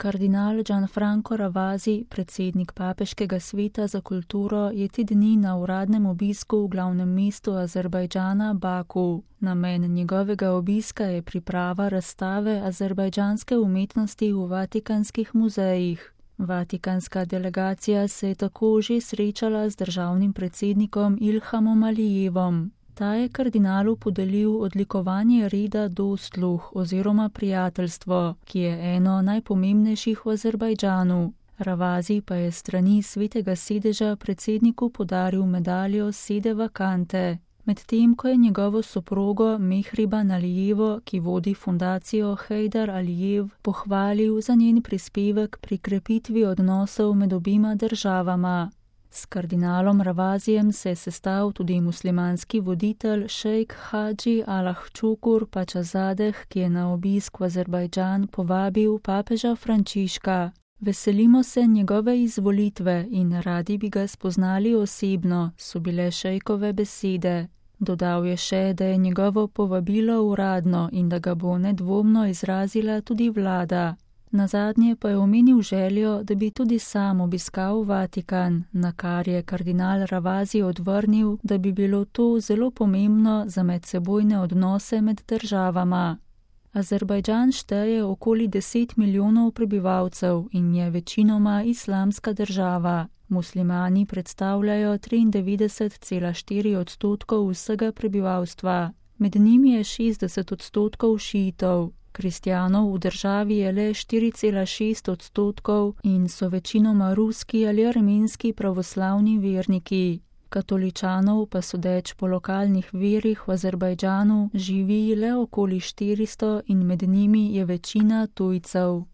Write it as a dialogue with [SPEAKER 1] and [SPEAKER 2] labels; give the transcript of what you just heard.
[SPEAKER 1] Kardinal Gianfranco Ravasi, predsednik Papeškega sveta za kulturo, je te dni na uradnem obisku v glavnem mestu Azerbajdžana Baku. Namen njegovega obiska je priprava razstave azerbajdžanske umetnosti v vatikanskih muzejih. Vatikanska delegacija se je tako že srečala z državnim predsednikom Ilhamom Alijevom. Ta je kardinalu podelil odlikovanje reda Dostluh oziroma prijateljstvo, ki je eno najpomembnejših v Azerbajdžanu. Ravasi pa je strani svetega sedeža predsedniku podaril medaljo Sede Vakante, medtem ko je njegovo soprogo Mehriban Alijevo, ki vodi fundacijo Heydar Alijev, pohvalil za njen prispevek pri krepitvi odnosov med obima državama. S kardinalom Ravasijem se je sestal tudi muslimanski voditelj šejk Hadži Alahčukur Pačazadeh, ki je na obisk v Azerbajdžan povabil papeža Frančiška. Veselimo se njegove izvolitve in radi bi ga spoznali osebno, so bile šejkove besede. Dodal je še, da je njegovo povabilo uradno in da ga bo nedvomno izrazila tudi vlada. Nazadnje pa je omenil željo, da bi tudi sam obiskal Vatikan, na kar je kardinal Ravasi odvrnil, da bi bilo to zelo pomembno za medsebojne odnose med državama. Azerbajdžan šteje okoli 10 milijonov prebivalcev in je večinoma islamska država. Muslimani predstavljajo 93,4% vsega prebivalstva, med njimi je 60% šiitov. Kristjanov v državi je le 4,6% in so večinoma ruski ali armenski pravoslavni verniki. Katoličanov pa sodeč po lokalnih verih v Azerbajdžanu živi le okoli 400 in med njimi je večina tujcev.